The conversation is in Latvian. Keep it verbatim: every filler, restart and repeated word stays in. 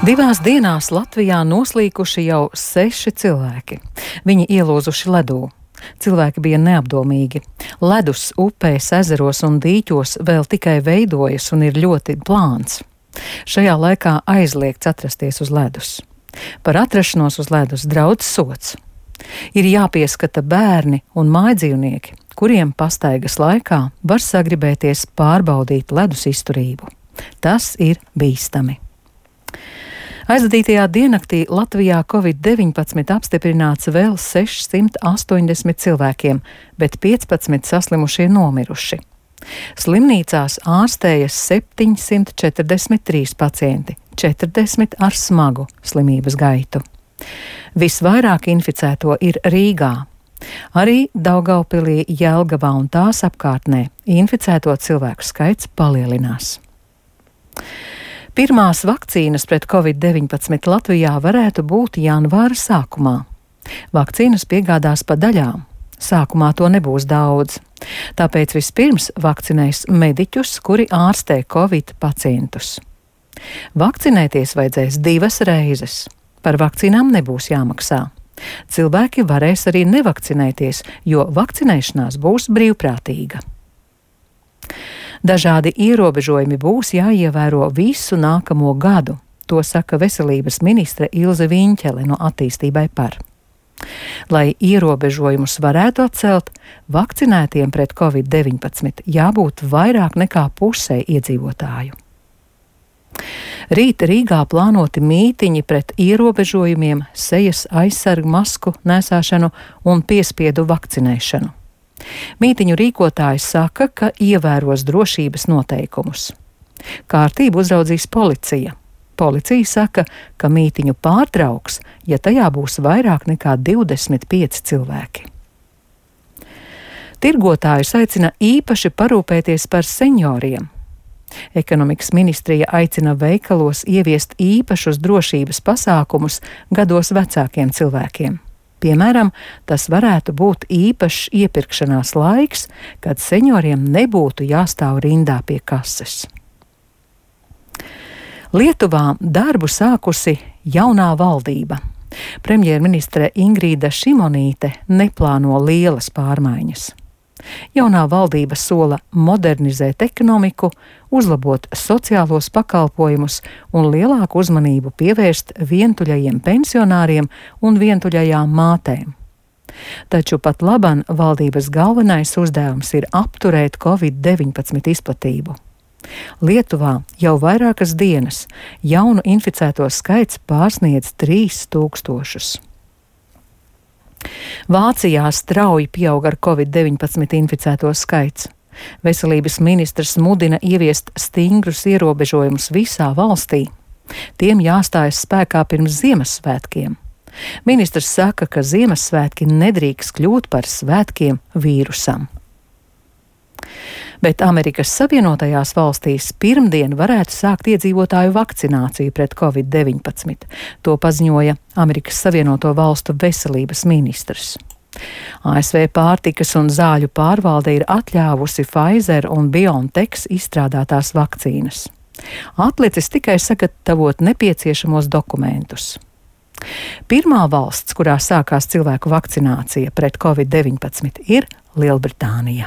Divās dienās Latvijā noslīkuši jau seši cilvēki. Viņi ielūzuši ledū. Cilvēki bija neapdomīgi. Ledus upēs, ezeros un dīķos vēl tikai veidojas un ir ļoti plāns. Šajā laikā aizliegts atrasties uz ledus. Par atrašanos uz ledus draudz sods. Ir jāpieskata bērni un mājdzīvnieki, kuriem pastaigas laikā var sagribēties pārbaudīt ledus izturību. Tas ir bīstami. Aizvadītajā diennaktī Latvijā covid deviņpadsmit apstiprināts vēl sešsimt astoņdesmit cilvēkiem, bet piecpadsmit saslimušie nomiruši. Slimnīcās ārstējas septiņsimt četrdesmit trīs pacienti, četrdesmit ar smagu slimības gaitu. Visvairāk inficēto ir Rīgā. Arī Daugavpilī, Jelgavā un tās apkārtnē inficēto cilvēku skaits palielinās. Pirmās vakcīnas pret covid deviņpadsmit Latvijā varētu būt janvāra sākumā. Vakcīnas piegādās pa daļām. Sākumā to nebūs daudz. Tāpēc vispirms vakcinēs mediķus, kuri ārstē covid pacientus. Vakcinēties vajadzēs divas reizes. Par vakcīnām nebūs jāmaksā. Cilvēki varēs arī nevakcinēties, jo vakcinēšanās būs brīvprātīga. Dažādi ierobežojumi būs jāievēro visu nākamo gadu, to saka veselības ministre Ilze Viņķele no Attīstībai par. Lai ierobežojumus varētu atcelt, vakcinētiem pret covid deviņpadsmit jābūt vairāk nekā pusei iedzīvotāju. Rīt Rīgā plānoti mītiņi pret ierobežojumiem, sejas aizsargu masku nēsāšanu un piespiedu vakcinēšanu. Mītiņu rīkotāji saka, ka ievēros drošības noteikumus. Kārtību uzraudzīs policija. Policija saka, ka mītiņu pārtrauks, ja tajā būs vairāk nekā divdesmit pieci cilvēki. Tirgotājus aicina īpaši parūpēties par senioriem. Ekonomikas ministrija aicina veikalos ieviest īpašus drošības pasākumus gados vecākiem cilvēkiem. Piemēram, tas varētu būt īpašs iepirkšanās laiks, kad senioriem nebūtu jāstāv rindā pie kases. Lietuvā darbu sākusi jaunā valdība. Premjerministre Ingrīda Šimonīte neplāno lielas pārmaiņas. Jaunā valdība sola modernizēt ekonomiku, uzlabot sociālos pakalpojumus un lielāku uzmanību pievērst vientuļajiem pensionāriem un vientuļajām mātēm. Taču pat laban valdības galvenais uzdevums ir apturēt covid deviņpadsmit izplatību. Lietuvā jau vairākas dienas jaunu inficēto skaits pārsniedz trīs tūkstošus. Vācijā strauji pieaug ar covid deviņpadsmit inficēto skaits. Veselības ministrs mudina ieviest stingrus ierobežojumus visā valstī. Tiem jāstājas spēkā pirms Ziemassvētkiem. Ministrs saka, ka Ziemassvētki nedrīkst kļūt par svētkiem vīrusam. Bet Amerikas Savienotajās valstīs pirmdien varētu sākt iedzīvotāju vakcināciju pret covid deviņpadsmit. To paziņoja Amerikas Savienoto Valstu veselības ministrs. A S V pārtikas un zāļu pārvalde ir atļāvusi Pfizer un BioNTech izstrādātās vakcīnas. Atlicis tikai sagatavot nepieciešamos dokumentus. Pirmā valsts, kurā sākās cilvēku vakcinācija pret covid deviņpadsmit, ir Lielbritānija.